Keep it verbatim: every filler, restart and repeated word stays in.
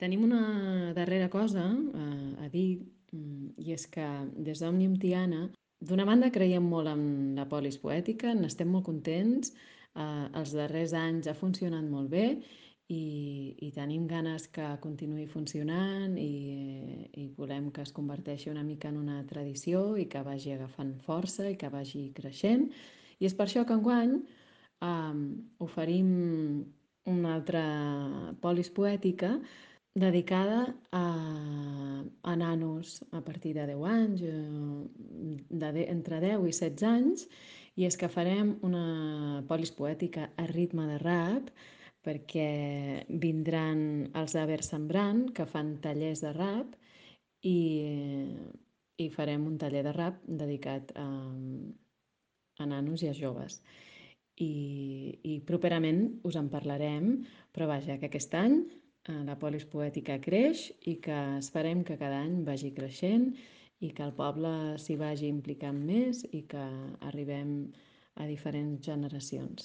Tenim una darrera cosa eh, a dir, mm, i és que des d'Òmnium Tiana, d'una banda creiem molt en la polis poètica, n'estem molt contents, eh, els darrers anys ha funcionat molt bé i, i tenim ganes que continuï funcionant i, i volem que es converteixi una mica en una tradició i que vagi agafant força i que vagi creixent. I és per això que enguany eh, oferim una altra polis poètica dedicada a, a nanos a partir de deu anys, eh, de, de, entre deu i setze anys, i és que farem una polis poètica a ritme de rap perquè vindran els de Versembrant, que fan tallers de rap, i, i farem un taller de rap dedicat a, a nanos i a joves. I, i properament us en parlarem, però vaja, que aquest any eh, la polis poètica creix i que esperem que cada any vagi creixent i que el poble s'hi vagi implicant més i que arribem a diferents generacions.